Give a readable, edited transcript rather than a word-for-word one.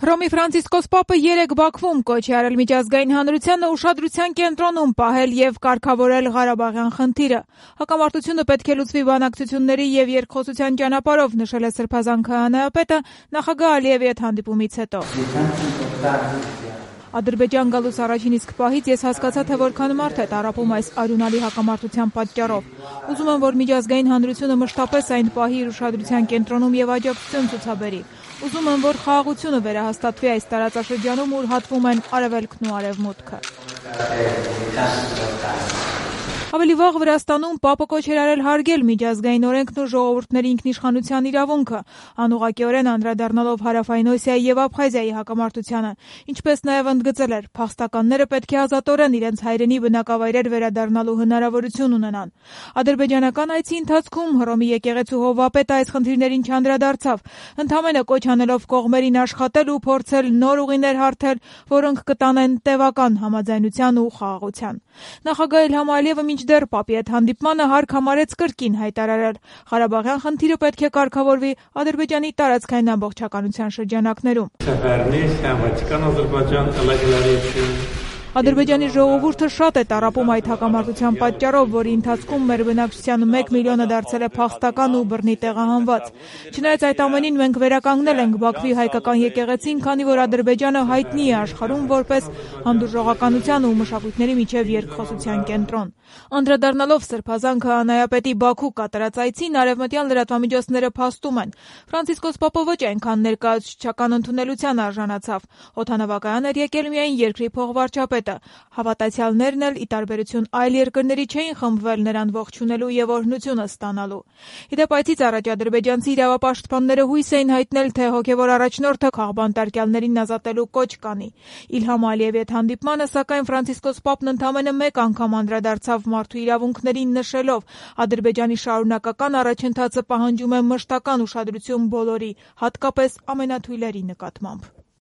Հռոմի Ֆրանցիսկոս Պապը երեկ Բաքվում կոչ է արել միջազգային հանրությանը ուշադրության կենտրոնում պահել եւ կարգավորել Ղարաբաղյան խնդիրը։ Հակամարտությունը պետք է լուծվի բանակցությունների եւ երկխոսության ճանապարհով, նշել է Սրբազան քահանայապետը նախագահ Ալիևի հետ հանդիպումից հետո։ Ադրբեջան գալուց առաջին իսկ պահից ես հասկացա, թե որքան մարդ է տառապում այս արյունալի հակամարտության պատճառով։ Ուզում եմ, որ միջազգային հանրությունը մշտապես այն պահի իր ուշադրության կենտրոնում եւ աջակցություն ցուցաբերի։ Ուզում եմ, որ խաղաղությունը վերահաստատվի այս տարածաշրջանում, ուր հատվում են Արևելքն ու Արևմուտքը։ Ավելի վաղ Վրաստանում Պապը կոչ էր արել հարգել միջազգային օրենքն ու ժողովուրդների ինքնիշխանության իրավունքը, անուղղակիորեն անդրադառնալով Հարավային Օսիայի եւ Աբխազիայի հակամարտությանը, ինչպես նաեւ ընդգծել էր, փախստականները պետք է ազատորեն իրենց հայրենի բնակավայրեր վերադառնալու հնարավորություն ունենան։ Ադրբեջանական այցի ընթացքում Հռոմի եկեղեցու հովվապետը այս խնդիրներին չանդրադարձավ, ընդհանրապես կոչ անելով կողմերին աշխատել ու փորձել նոր ուղիներ հարթել, որոնք կտանեն տևական համաձայնության ու խաղաղության։ Նախագահ Իլհամ Ալիևը մինչդեռ Պապի հետ հանդիպմանը հարկ համարեց կրկին հայտարարել. Ղարաբաղյան խնդիրը պետք է կարգավորվի Ադրբեջանի տարածքային ամբողջականության շրջանակներում։ Ադրբեջանի ժողովուրդը շատ է տառապում այդ հակամարտության պատճառով, որի ընթացքում մեր բնակչության 1 միլիոնը դարձել է փախստական ու բռնի տեղահանված։ Չնայած այդ ամենին մենք վերականգնել ենք Բաքվի հայկական եկեղեցին, քանի որ Ադրբեջանը հայտնի է աշխարհում որպես հանդուրժողականության ու մշակույթների միջև երկխոսության կենտրոն։ Անդրադառնալով Սրբազան քահանայապետի Բաքու կատարած այցին, արևմտյան լրատվամիջոցները փաստում են. Ֆրանցիսկոս Պապը ոչ այնքան ներկայացուցչական ընդունելության արժանացավ։ Օդանավակայան էր եկել միայն երկրի փոխվարչապետը։ Հավատացյալներն էլ, ի տարբերություն այլ երկրների, չէին խմբվել նրան ողջունելու եւ օրհնությունը ստանալու։ Իդեպ այցից առաջ ադրբեջանցի իրավապաշտպանները հույս էին հայտնել, թե հոգեվոր առաջնորդը քաղբանտարկյալներին ազատելու կոչ կանի։ Իլհամ Ալիևի հետ հանդիպմանը, սակայն Ֆրանցիսկոս Պապն ընդամենը մեկ անգամ անդրադարձավ մարդու իրավունքներին, նշելով. Ադրբեջանի շարունակական առաջընթացը պահանջում է մշտական ուշադրություն բոլորի, հատկապես ամենաթույլերի նկատմամբ։